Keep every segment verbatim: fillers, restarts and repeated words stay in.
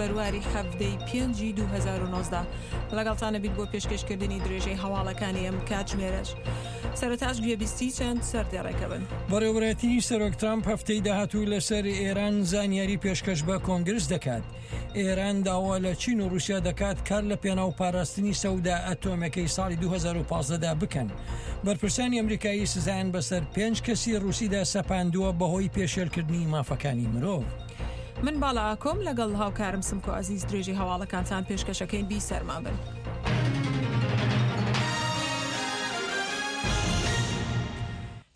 بەرواری حەڤدەی پێنجی دوو هەزار و نۆزدە لەگەڵتانە بیت بۆ پێشکەشکردنی درێژەی هەواڵەکانی ئەم کاتژمێرەش. سەرەتاش گوێبیستی چەند سەردێڕێکە بن. بەڕێوەبەرایەتی سەرۆک ترامپ هەفتەی داهاتوو لەسەر ئێران زانیاری پێشکەش بە کۆنگرس دەکات. ئێران داوا لە چین و رووسیا دەکات کار لە پێناو پاراستنی سەودا ئەتۆمەکەی ساڵی دوو هەزار و پازدە دا بکەن. بەرپرسانی ئەمریکایی سزایان بەسەر پێنج کەسی رووسیدا سەپاندووە بەهۆی پێشێلکردنی مافەکانی مرۆڤ. من باڵا ئاکۆم لەگەڵ هاوکارم سمکۆ عەزیز درێژەی هەواڵەکانتان پێشکەشەکەین. بی سەرمان بن.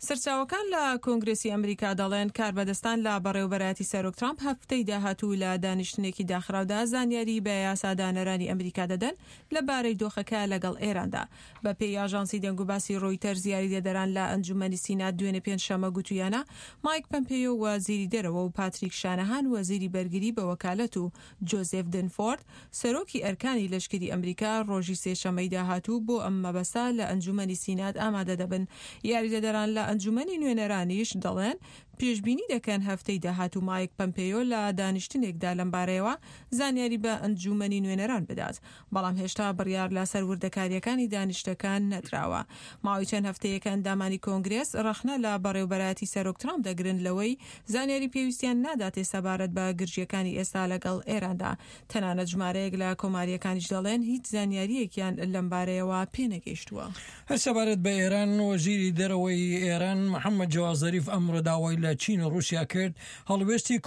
سەرچاوەکان لە کۆنگرسی ئەمریکا دەڵێن کاربەدەستان لە بەڕێوەبەرایەتی سەرۆک ترامپ هەفتەی داهاتوو لە دانیشتنێکی داخراودا زانیاری بە یاسادانەرانی ئەمریکا دەدەن لەبارەی دۆخەکە لەگەڵ ئێراندا. بە پێی ئاژانسی دەنگوباسی ڕۆیتەرز یاریدەدەران لە ئەنجومەنی سینات دوێنێ پێنجشەممە گوتویانە مایک پەمپێیۆ وەزیری دەرەوە و پاتریک شانەهان وەزیری بەرگری بە وەکالەت و جۆزێف دنفۆرد سەرۆکی ئەرکانی لەشکری ئەمریکا ڕۆژی سێشەممەی داهاتوو بۆ ئەم مەبەستە لە ئەنجومەنی سینات ئامادە دەبن. یاریدەدەران لە ئەنجومەنی نوێنەرانیش دەڵێن پێشبینی دەکەن هەفتەی داهاتوو مایک پەمپێیۆ لە دانیشتنێکدا لەمبارەیەوە زانیاری بە ئەنجومەنی نوێنەران بدات، بەڵام هێشتا بڕیار لەسەر وردەکاریەکانی دانیشتەکان نەدراوە. ماوەی چەند هەفتەیەکە ئەندامانی کۆنگرێس ڕەخنە لە بەڕێوبەرایەتی سەرۆک ترامپ دەگرن لەوەی زانیاری پێویستیان ناداتێ سەبارەت بە گرژیەکانی ئێستا لەگەڵ ئێراندا. تەنانەت ژمارەیەک لە کۆماریەکانیش دەڵێن هیچ زانیاریەکیان لەمبارەیەوە پێنەگەیشتووە. هەر سەبارەت بە ئێران، وەزیری دەرەوەی ئێران محەممەد جەواد زەریف ئەمڕۆ داوای لە چین و رووسیا کرد هەڵوێستی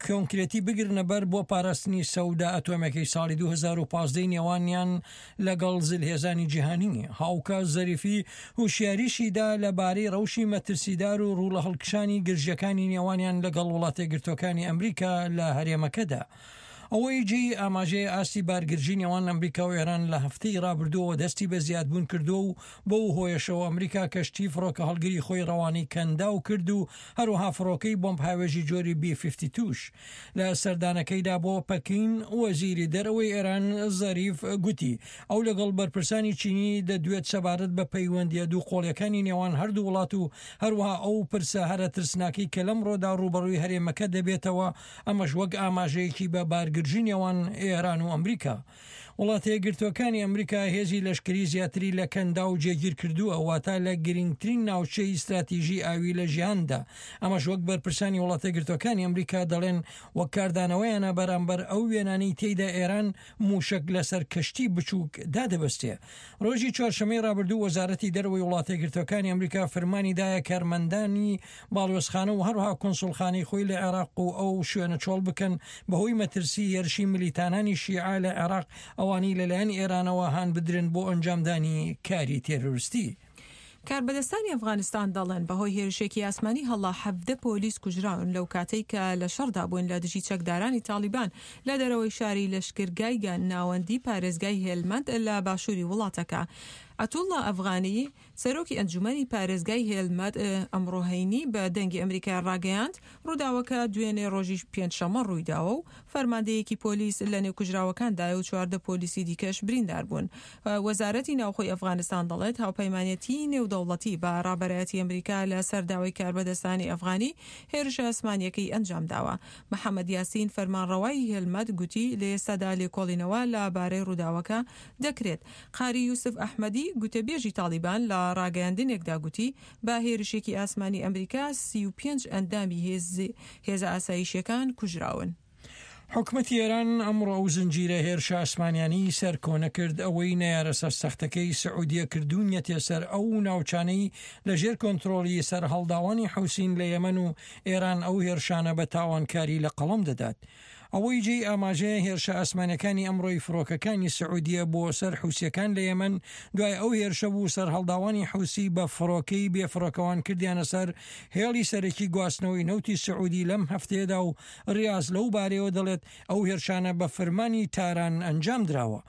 کۆنکرێتی بگرنە بەر بۆ پاراستنی سەودا ئەتۆمەکەی ساڵی دوو هەزار و پازدە نێوانیان لەگەڵ زلهێزانی جیهانی. هاوکات زەریفی هوشیاریشی دا لەبارەی ڕەوشی مەترسیدار و ڕوو لە هەڵکشانی گرژیەکانی نێوانیان لەگەڵ وڵاتەیەکگرتووەکانی ئەمریکا لە هەرێمەکەدا. ئەوەی جێی ئاماژەیە ئاستی بارگرژی نێوان ئەمریکا و ئێران لە هەفتەی ڕابردووەوە دەستی بە زیادبوون کردووە و بەو هۆیەشەوە ئەمریکا کەشتی فڕۆکە هەڵگری خۆی ڕەوانەی کەنداو کرد و هەروەها فڕۆکەی بۆمب هاوێژی جۆری بی پەنجا و دوو لە سەردانەکەیدا بۆ پەکین وەزیری دەرەوەی ئێران زەریف گوتی ئەو لەگەڵ بەرپرسانی چینی دەدوێت سەبارەت بە پەیوەندیە دوو قۆڵیەکانی نێوان هەردوو وڵات و هەروەها ئەو پرسە هەرە ترسناکەی کە لەمڕۆدا ڕووبەڕووی هەرێمەکە دەبێتەوە، ئەمەش وەک ئاماژەیەکی بە بارگرژی نێوان ئێران و ئەمریکا. وڵاتە یەکگرتووەکانی ئەمریکا هێزی لەشکری زیاتری لە کەنداو جێگیر کردووە، واتە لە گرنگترین ناوچەی استراتیژی ئاوی لە ژیاندا. ئەمەش وەک بەرپرسانی وڵاتە یەکگرتووەکانی ئەمریکا دەڵێن وەک کاردانەوەیانە بەرامبەر ئەو وێنانەی تێیدا ئێران موشک لەسەر کەشتی بچووک دادەبەستێ. ڕۆژی چوارشەممەی ڕابردوو وەزارەتی دەرەوەی وڵاتە یەکگرتووەکانی ئەمریکا فرمانی دایە کارمەندانی باڵوێزخانە و هەروەها کونسوڵخانەی خۆی لە عێراق و ئەو شوێنە چۆڵ بکەن بەهۆی مەترسی هێرشی ملیتانانی شیعە لە عێراق ئەوانەی لەلایەن ئێرانەوە هان بدرن بۆ ئەنجامدانی کاری تێرۆریستی. کاربەدەستانی ئەفغانستان دەڵێن بەهۆی هێرشێکی ئاسمانی هەڵا حەڤدە پۆلیس کوژراون لەو کاتەی کە لە شەڕدا بوون لە دژی چەکدارانی تاڵیبان لە دەرەوەی شاری لەشکرگای ناوەندی پارێزگای هێلمەند لە باشووری وڵاتەکە. عەتوڵڵا ئەفغانی سەرۆکی ئەنجومەنی پارێزگای هێلمەند ئەمڕۆ هەینی بە دەنگی ئەمریکا ڕاگەیاند ڕووداوەکە دوێنێ ڕۆژی پێنجشەممە ڕوویداوە و فەرماندەیەکی پۆلیس لە نێو کوژراوەکاندایە و چواردە پۆلیسی دیکەش بریندار بوون. وەزارەتی ناوخۆی ئەفغانستان دەڵێت هاوپەیمانەتی نێودەوڵەتی بە ڕابەرایەتی ئەمریکا لە سەر داوای کاربەدەستانی ئەفغانی هێرشە ئاسمانیەکەی ئەنجام داوە. محەممەد یاسین فەرمانڕەوای هێلمەند گوتی لە ئێستادا لێکۆڵینەوە لە بارەی ڕووداوەکە دەکرێت. قاری یوسف ئەحمەدی گوتەبێژی تاڵیبان لە ڕاگەیاندنێکدا گوتی بە هێرشێکی ئاسمانی ئەمریکا سی و پێنج ئەندامی هێزە ئاسایشیەکان کوژراون. حکومەتی ئێران ئەمڕۆ ئەو زنجیرە هێرشە ئاسمانیانەی سەرکۆنە کرد ئەوەی نەیارە سەرسەختەکەی سعودیە کردوونیەتێ سەر ئەو ناوچانەی لەژێر کۆنترۆڵی سەرهەڵداوانی حوسین لە یەمەن و ئێران ئەو هێرشانە بە تاوانکاری لە قەڵەم دەدات. ئەوەی جێی ئاماژەیە هێرشە ئاسمانەکانی ئەمڕۆی فڕۆکەکانی سعودیە بۆ سەر حوسیەکان لە یەمەن دوای ئەو هێرشە بوو سەرهەڵداوانی حوسی بە فڕۆکەی بێفڕۆکەوان کردیانە سەر هێڵی سەرەکی گواستنەوەی نەوتی سعودی لەم هەفتەیەدا و ڕیاز لەو بارەیەوە دەڵێت ئەو هێرشانە بە فەرمانی تاران ئەنجام دراوە.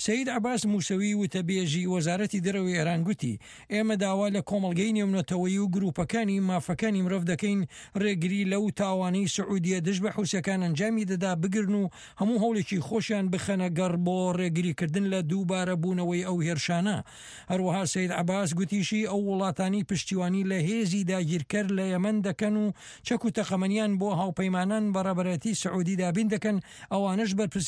سەید عەباس موسەوی وتەبێژی وەزارەتی دەرەوەی ئێران گوتی ئێمە داوا لە کۆمەڵگەی نێونەتەوەیی و گروپەکانی مافەکانی مرۆڤ دەکەین ڕێگری لەو تاوانەی سعودیە دژ بە حوسیەکان ئەنجامی دەدات یەمەندا بگرن و هەموو هەوڵێکی خۆشیان بخەنە گەڕ بۆ ڕێگریکردن لە دووبارە بوونەوەی ئەو هێرشانە. هەروەها سەید عەباس گوتیشی ئەو وڵاتانی پشتیوانی لە هێزی داگیرکەر لە یەمەن دەکەن و چەک و تەقەمەنیان بۆ هاوپەیمانان بە ڕابەرایەتی سعودی دابین دەکەن، ئەوانەش بەرپرسیارێتی